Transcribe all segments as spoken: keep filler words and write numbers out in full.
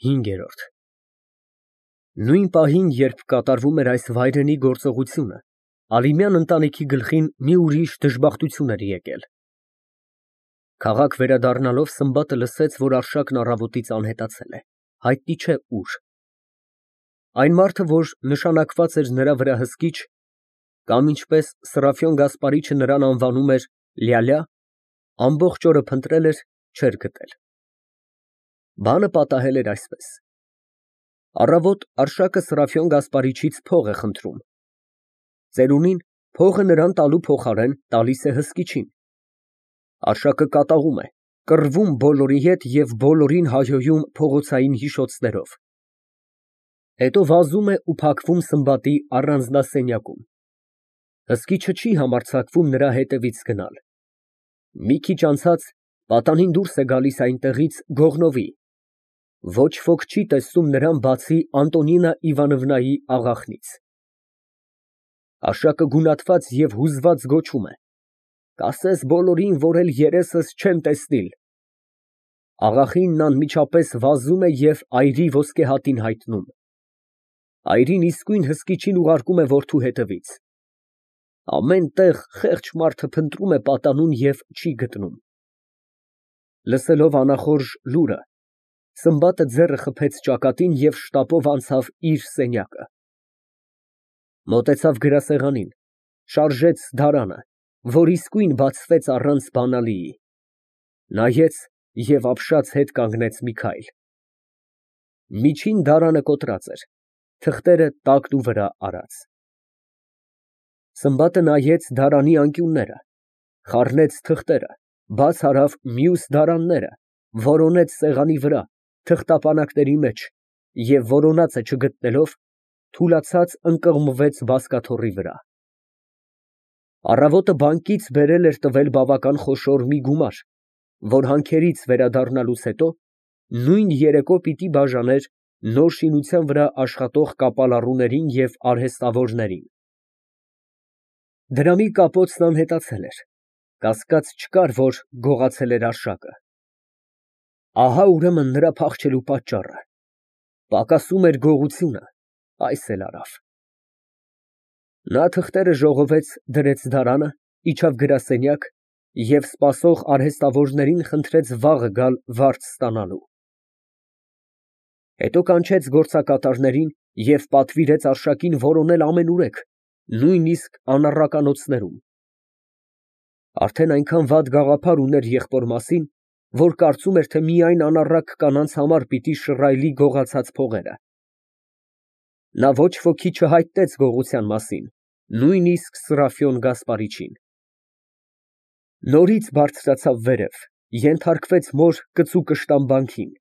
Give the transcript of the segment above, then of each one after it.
ՀԻՆԳԵՐՈՐԴ Նույն պահին, երբ կատարվում էր այս վայրենի գործողությունը, Ալինյան ընտանիքի գլխին մի ուրիշ դժբախտություն էր եկել. Քաղաք վերադառնալով, Սմբատը լսեց, որ Արշակն առավոտից անհետացել է, հայտնի չէ ուր։ Այն մարդը, որ նշանակված էր նրա վրա հսկիչ, կամ ինչպես Սրափիոն Գասպարիչը նրան անվանում էր Լյալյա, ամբողջ օրը փնտրել էր, չէր գտել։ Բանը պատահել էր այսպես. Առավոտ Արշակը Սրափիոն Գասպարիչից փող է խնդրում։ Ծերունին փողը նրան տալու փոխարեն տալիս է հսկիչին։ Արշակը կատաղում է, կռվում բոլորի հետ և բոլորին հայհոյում փողոցային հիշոցներով։ Հետո վազում է ու փակվում Սմբատի առանձնասենյակում։ Հսկիչը չի համարձակվում նրա հետևից գնալ։ Մի քիչ անցած պատանին դուրս է գալիս այնտեղից գողնովի։ Ոչ ոք չի տեսնում նրան, բացի Անտոնինա Իվանովնայի աղախնից։ Արշակը գունատված և հուզված գոչում է. «Կասես բոլորին, որ էլ երեսս չեմ տեսնիլ»։ Աղախինն անմիջապես վազում է և այրի ոսկեհատին հայտնում։ Այրին իսկույն հսկիչին ուղարկում է որդու հետևից։ Ամեն տեղ խեղճ մարդը փնտրում է պատանուն և չի գտնում։ Լսելով անախորժ լուրը, Սմբատը ձեռը խփեց ճակատին և շտապով անցավ իր սենյակը։ Մոտեցավ գրասեղանին, շարժեց դարանը, որ իսկույն բացվեց առանց բանալիի, նայեց և ապշած հետ կանգնեց մի քայլ։ Միջին դարանը կոտրած էր, թղթերը տակնուվրա արած։ Սմբատը նայեց դարանի անկյունները, խառնեց թղթերը, բաց արավ մյուս դարանները, որոնեց սեղանի վրա, թղթապանակների մեջ և որոնածը չգտնելով, թուլացած ընկղմվեց բազկաթոռի վրա։ Առավոտը բանկից բերել էր տվել բավական խոշոր մի գումար, որ հանքերից վերադառնալուց հետո նույն երեկո պիտի բաժաներ նոր շինության վրա աշխատող կապալառուներին և արհեստավորներին։ Դրամի կապոցն անհետացել էր, կասկած չկար, որ գողացել էր Արշակը։ Ահա ուրեմն նրա փախչելու պատճառը։ Պակասում էր գողությունը, այս էլ արավ։ Նա թղթերը ժողովեց, դրեց դարանը, իջավ գրասենյակ և սպասող արհեստավորներին խնդրեց վաղը գալ վարձ ստանալու։ Հետո կանչեց գործակատարներին և պատվիրեց Արշակին որոնել ամենուրեք, նույնիսկ անառականոցներում։ Արդեն այնքան վատ գաղափար ուներ եղբոր մասին, որ կարծում էր, թե միայն անառակ կանանց համար պիտի շռայլի գողացած փողերը։ Նա ոչ ոքի չհայտեց գողության մասին, նույնիսկ Սրափիոն Գասպարիչին։ Նորից բարձրացավ վերև, ենթարկվեց մոր կծու կշտամբանքին։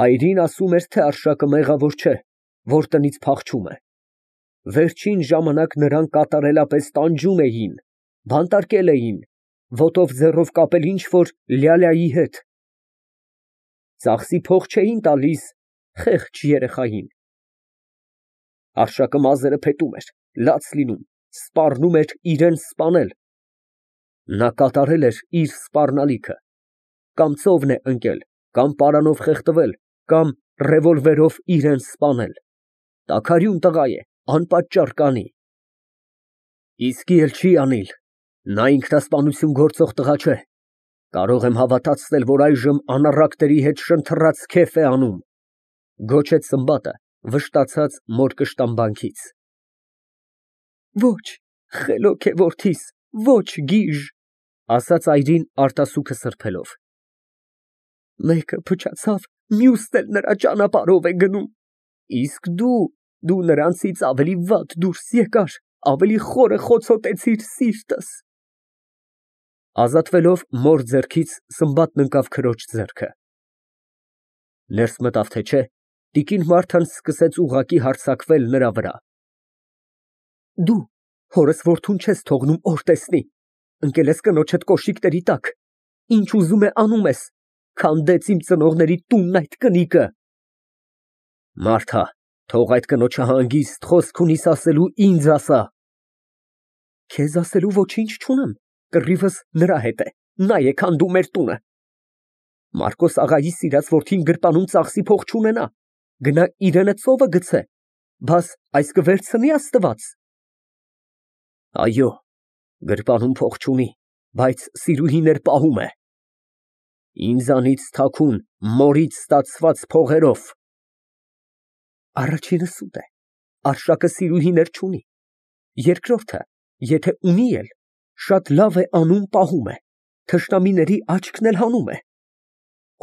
Այրին ասում էր, թե Արշակը մեղավոր չէ, որ տնից փախչում է։ Վերջին ժամանակ նրան կատարելապես տանջում էին, բանտարկել էին, ոտով ձեռով կապել ինչ֊որ Լյալյայի հետ։ Ծախսի փող չէին տալիս խեղճ երեխային։ Արշակը մազերը փետում էր, լաց լինում, սպառնում էր իրան սպանել։ Նա կատարել էր իր սպառնալիքը, կամ ծովն է ընկել, կամ պարանով խեղդվել, կամ ռևոլվերով իրան սպանել։ Տաքարյուն տղա է, անպատճառ կանի։ Իսկի էլ չի անիլ, նա ինքնասպանություն գործող տղա չէ։ Կարող եմ հավատացնել, որ այժմ անառակների հետ շնթռաց քեֆ է անում, գոչեց Սմբատը, վշտացած մոր կշտամբանքից։ Ոչ, խելոք է որդիս, ոչ գիժ, ասաց այրին արտասուքը սրբելով։ Մեկը փչացավ, մյուսն էլ նրա ճանապարհով է գնում։ Իսկ դու, դու նրանցից ավելի վատ դուրս եկար, ավելի խորը խոցոտեցիր սիրտս։ Ազատվելով մոր ձեռքից, Սմբատն ընկավ քրոջ ձեռքը։ Ներս մտավ, թե չէ, տիկին Մարթան սկսեց ուղղակի հարձակվել նրա վրա։ Դու հորս որդուն չես թողնում օր տեսնի, ընկել ես կնոջդ կոշիկների տակ, ինչ ուզում է անում ես, քանդեց իմ ծնողների տունն այդ կնիկը։ Մարթա, թող այդ կնոջը հանգիստ խոսք ունիս ասելու, ինձ ասա։ Քեզ ասելու ոչինչ չունեմ, կռիվս նրա հետ է, նա է քանդում մեր տունը։ Մարկոս աղայի սիրած որդին գրպանում ծախսի փող չունենա, գնա իրենը ծովը գցե, բաս այս կվերցնի Աստված։ Այո, գրպանում փող չունի, բայց սիրուհիներ պահում է։ Ինձանից թաքուն, մորից ստացված փողերով։ Առաջինը սուտ է, Արշակը սիրուհիներ չունի, երկրորդը, եթե ունի էլ, շատ լավ է անում պահում է, թշնամիների աչքն էլ հանում է։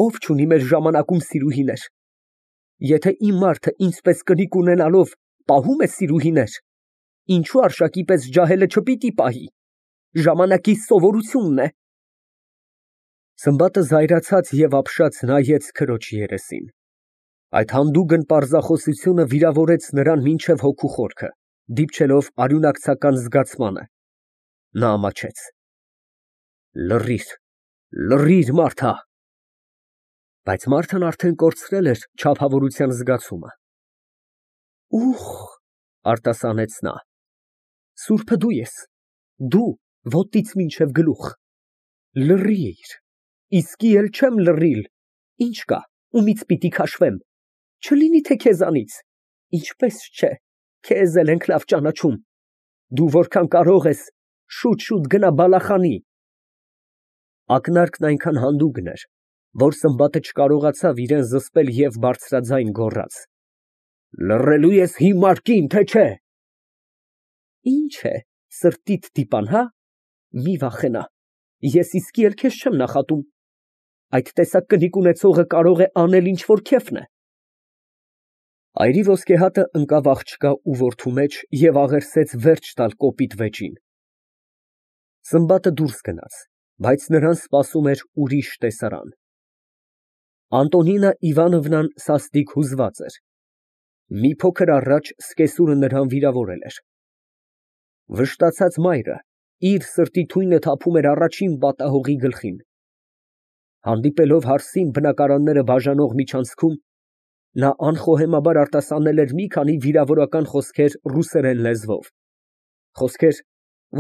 Ով չունի մեր ժամանակում սիրուհիներ։ Եթե իմ մարդը ինձպես կնիկ ունենալով պահում է սիրուհիներ, ինչու Արշակի պես ջահելը չպիտի պահի, ժամանակի սովորությունն է։ Սմբատը զայրացած և ապշած նայեց քրոջ երեսին։ Այդ հանդուգն պարզախոսությունը վիրավորեց նրան մինչև հոգու խորքը, դիպչելով արյունակցական զգացմանը։ Նա ամաչեց։ Լռիր, լռիր, Մարթա։ Բայց Մարթան արդեն կորցրել էր չափավորության զգացումը։ Ուխ, արտասանեց նա։ Սուրբը դու ես, դու ոտից մինչև գլուխ։ Լռիր, իսկի էլ չեմ լռիլ, ինչ կա, ումից պիտի քաշվեմ, չլինի թե քեզանից, ինչպես չէ, քեզ էլ ենք լավ ճանաչում, դու որքան կարող ես, շուտ֊շուտ գնա բալախանի։ Ակնարկն այնքան հանդուգն էր, որ Սմբատը չկարողացավ իրան զսպել և բարձրաձայն գոռաց. Լռելու ես հիմար կին, թե չէ։ Ինչ է, սրտիդ դիպան, հա, մի վախենա, ես իսկի էլ քեզ չեմ նախատում, այդ տեսակ կնիկ ունեցողը կարող է անել ինչ որ քեֆն է։ Այրի ոսկեհատը ընկավ աղջկա ու որդու մեջ և աղերսեց վերջ տալ կոպիտ վեճին։ Սմբատը դուրս գնաց, բայց նրան սպասում էր ուրիշ տեսարան։ Անտոնինա Իվանովնան սաստիկ հուզված էր։ Մի փոքր առաջ սկեսուրը նրան վիրավորել էր։ Վշտացած մայրը իր սրտի թույնը թափում էր առաջին պատահողի գլխին։ Հանդիպելով հարսին բնակարանները բաժանող միջանցքում, նա անխոհեմաբար արտասանել էր մի քանի վիրավորական խոսքեր ռուսերեն լեզվով, խոսքեր,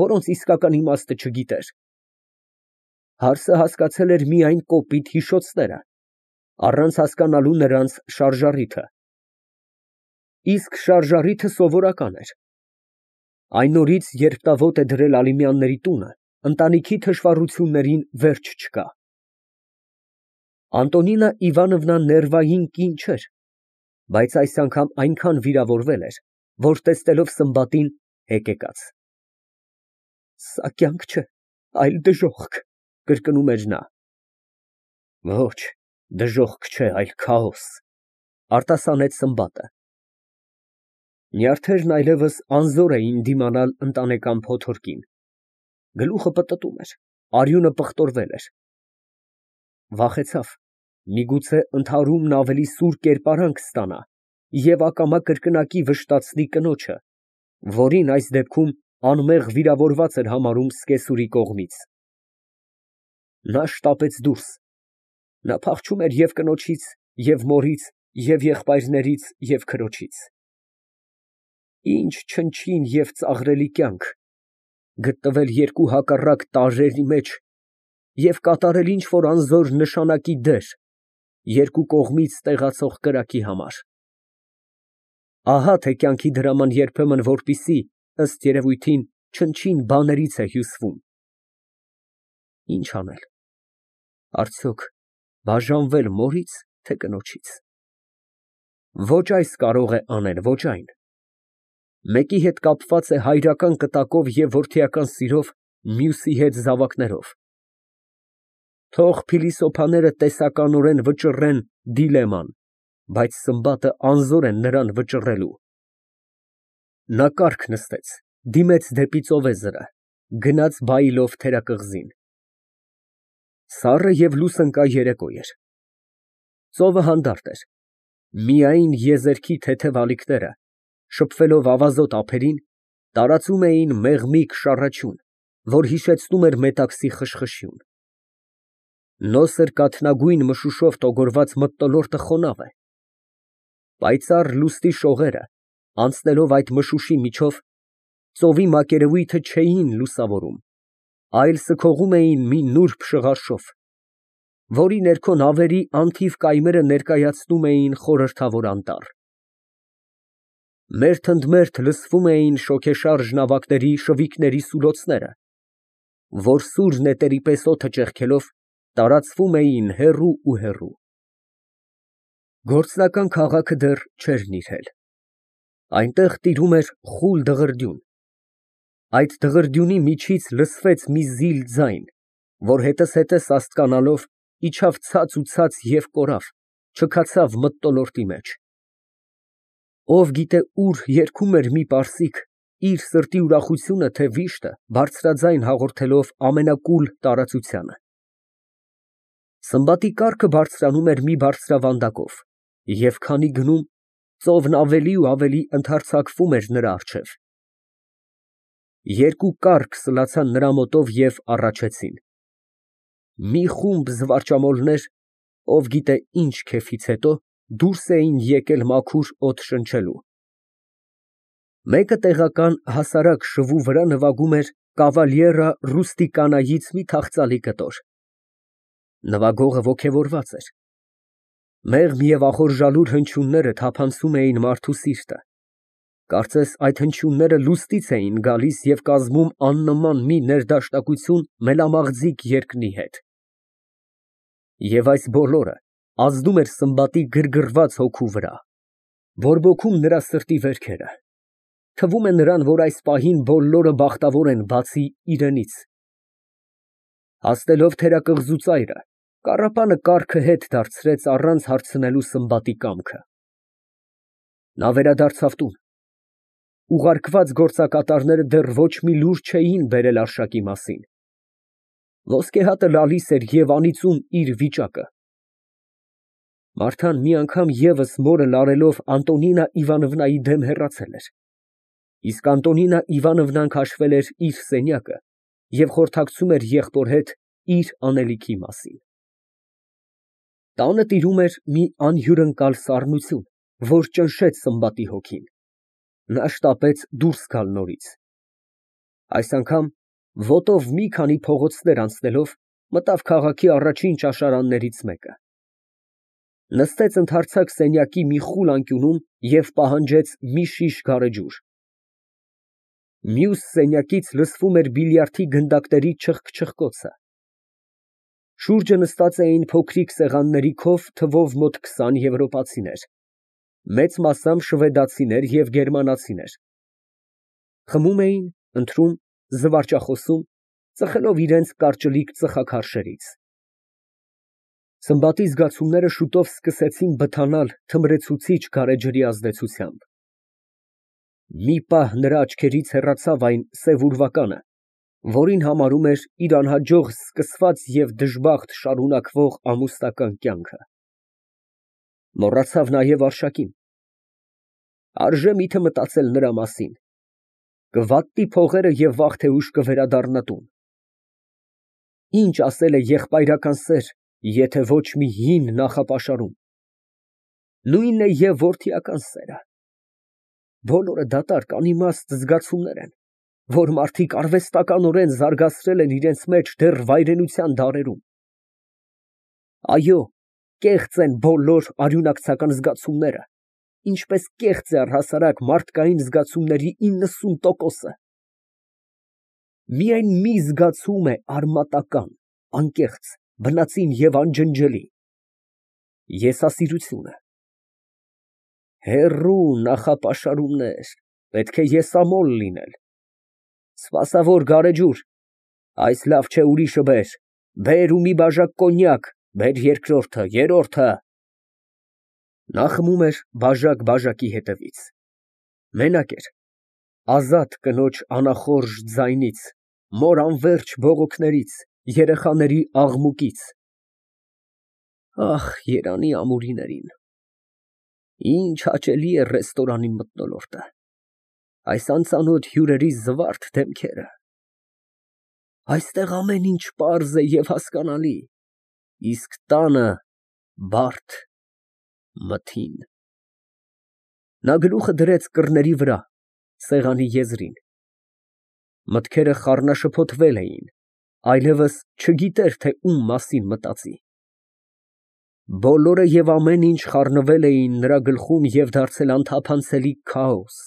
որոնց իսկական իմաստը չգիտեր։ Հարսը հասկացել էր միայն կոպիտ հիշոցները, առանց հասկանալու նրանց շարժառիթը։ Իսկ շարժառիթը սովորական էր։ Այն օրից, երբ նա ոտը է դրել Ալիմյանների տունը, ընտանիքի թշվառություններին վերջ չկա։ Անտոնինա Իվանովնան ներվային կին չէր, բայց այս անգամ այնքան վիրավորվել էր, որ տեսնելով Սմբատին, հեկեկաց։ Սա կյանք չէ, այլ դժոխք, կրկնում էր նա։ Ոչ, դժոխք չէ, այլ քաոս, արտասանեց Սմբատը։ Նյարդերն այլևս անզոր էին դիմանալ ընտանեկան փոթորկին։ Գլուխը պտտում էր, արյունը պղտորվել էր։ Վախեցավ, միգուցե ընդհարումն ավելի սուր կերպարանք ստանա և ակամա կրկնակի վշտացնի կնոջը, որին այս դեպքում անմեղ վիրավորված էր համարում սկեսուրի կողմից։ Նա շտապեց դուրս։ Նա փախչում էր և կնոջից, և մորից, և եղբայրներից, և քրոջից։ Ինչ չնչին և ծաղրելի կյանք, գտնվել երկու հակառակ տարրերի մեջ և կատարել ինչ֊որ անզոր նշանակի դեր երկու կողմից տեղացող կրակի համար։ Ահա թե կյանքի դրաման երբեմն որպիսի, ըստ երևույթին, չնչին բաներից է հյուսվում։ Ինչ անել, արդյոք բաժանվել մորի՞ց, թե կնոջից։ Ոչ այս կարող է անել, ոչ այն։ Մեկի հետ կապված է հայրական կտակով և որդիական սիրով, մյուսի հետ զավակներով։ Թող փիլիսոփաները տեսականորեն վճռեն դիլեման, բայց Սմբատը անզոր է նրան վճռելու։ Նա կառք նստեց, դիմեց դեպի ծովեզրը, գնաց բայլով թերակղզին։ Սառը և լուսնկա երեկո էր։ Ծովը հանդարտ էր, միայն եզերքի թեթև ալիքները, շփվելով ավազոտ ափերին, տարածում էին մեղմիկ շառաչյուն, որ հիշեցնում էր մետաքսի խշխշյուն։ Նոսր կաթնագույն մշուշով տոգորված մթնոլորտը խոնավ է։ Պայծառ լուսնի շողերը, անցնելով այդ մշուշի միջով, ծովի մակերևույթը չէին լուսավորում, այլ սքողում էին մի նուրբ շղարշով, որի ներքո նավերի անթիվ կայմերը ներկայացնում էին խորհրդավոր անտառ։ Մերթ ընդ մերթ լսվում էին շոգեշարժ նավակների շվիքների սուլոցները, որ սուր նետերի պես օդը ճեղքելով տարածվում էին հեռու ու հեռու։ Գործնական քաղաքը դեռ չէր նիրհել։ Այնտեղ տիրում էր խուլ դղրդյուն։ Այդ դղրդյունի միջից լսվեց մի զիլ ձայն, որ հետզհետե սաստկանալով իջավ ցած ու ցած և կորավ, չքացավ մթնոլորտի մեջ։ Ով գիտե ուր երգում էր մի պարսիկ իր սրտի ուրախությունը, թե վիշտը բարձրաձայն հաղորդելով ամենակուլ տարածությանը։ Սմբատի կառքը բարձրանում էր մի բարձրավանդակով, և քանի գնում, ծովն ավելի ու ավելի ընդհարձակվում էր նրա առջև։ Երկու կառք սլացան նրա մոտով և առաջեցին։ Մի խումբ զվարճամոլներ, ով գիտե ինչ քեֆից հետո, դուրս էին եկել մաքուր օդ շնչելու։ Մեկը տեղական հասարակ շվու վրա նվագում էր Կավալիերա Ռուստիկանայից մի թախծալի կտոր։ Նվագողը ոգևորված էր։ Մեղմ և ախորժալուր հնչյունները թափանցում էին մարդու սիրտը, կարծես այդ հնչյունները լուստից էին գալիս և կազմում աննման մի ներդաշնակություն մելամաղձիկ երկնի հետ։ Եվ այս բոլորը ազդում էր Սմբատի գրգռված հոգու վրա, բորբոքում նրա սրտի վերքերը։ Թվում է նրան, որ այս պահին բոլորը բախտավոր են, բացի իրենից։ Հասնելով թերակղզու ծայրը, կառապանը կառքը հետ դարձրեց առանց հարցնելու Սմբատի կամքը։ Նա վերադարձավ տուն։ Ուղարկված գործակատարները դեռ ոչ մի լուր չէին բերել արշակի մասին։ Ոսկե հատը լալիս էր և անիծում իր վիճակը։ Մարթան մի անգամ ևս մորը լարելով Անտոնինա Իվանովնայի դեմ հեռացել էր, իսկ Անտոնինա Իվանովնան քաշվել էր իր սենյակը և խորհրդակցում էր եղբոր հետ իր անելիքի մասին։ Տանը տիրում էր մի անհյուրընկալ սառնություն, որ ճնշեց Սմբատի հոգին։ Նա շտապեց դուրս գալ նորից։ Այս անգամ ոտով մի քանի փողոցներ անցնելով, մտավ քաղաքի առաջին ճաշարաններից մեկը։ Նստեց ընդարձակ սենյակի մի խուլ անկյունում և պահանջեց մի շիշ գարեջուր։ Մյուս սենյակից լսվում էր բիլիարդի գնդակների չխկչխկոցը։ Շուրջը նստած էին փոքրիկ սեղանների քով թվով մոտ քսան եվրոպացիներ, մեծ մասամբ շվեդացիներ և գերմանացիներ։ Խմում էին, ընթրում, զվարճախոսում, ծխելով իրենց կարճլիկ ծխաքարշերից։ Սմբատի զգացումները շուտով սկսեցին բթանալ թմրեցուցիչ գարեջրի ազդեցությամբ։ Մի պահ նրա աչքերից հեռացավ այն սև ուրվականը, որին համարում էր իր անհաջող սկսված և դժբախտ շարունակվող ամուսնական կյանքը։ Մոռացավ նաև Արշակին։ Արժե միթե մտածել նրա մասին։ Կվատնի փողերը և վաղ թե ուշ կվերադառնա տուն։ Ինչ ասել է եղբայրական սեր, եթե ոչ մի հին նախապաշարում։ Նույնն է և որդիական սերը։ Բոլորը դատարկ անիմաստ զգացումներ են, որ մարդիկ արվեստականորեն զարգացրել են իրենց մեջ դեռ վայրենության դարերում։ Այո, կեղծ են բոլոր արյունակցական զգացումները, ինչպես կեղծ է առհասարակ մարդկային զգացումների իննսուն տոկոսը։ Միայն մի զգացում է արմատական, անկեղծ, բնածին և անջնջելի՝ եսասիրությունը։ Հեռու նախապաշարումներ, պետք է եսամոլ լինել։ Սպասավոր գարեջուր, այս լավ չէ, ուրիշը բեր, բեր ու մի բաժակ կոնյակ, բեր երկրորդը, երրորդը։ Նա խմում էր բաժակ֊բաժակի հետևից։ Մենակ էր, ազատ կնոջ անախորժ ձայնից, մոր անվերջ բողոքներից, երեխաների աղմուկից։ Ահ, երանի ամուրիներին, ինչ հաճելի է ռեստորանի մթնոլորտը, այս անծանոթ հյուրերի զվարթ դեմքերը։ Այստեղ ամեն ինչ պարզ է և հասկանալի, իսկ տանը բարդ, մթին։ Նա գլուխը դրեց կռների վրա, սեղանի եզրին։ Մտքերը խառնաշփոթվել էին, այլևս չգիտեր, թե ում մասին մտածի։ Բոլորը և ամեն ինչ խառնվել էին նրա գլխում և դարձել անթափանցելի քաոս։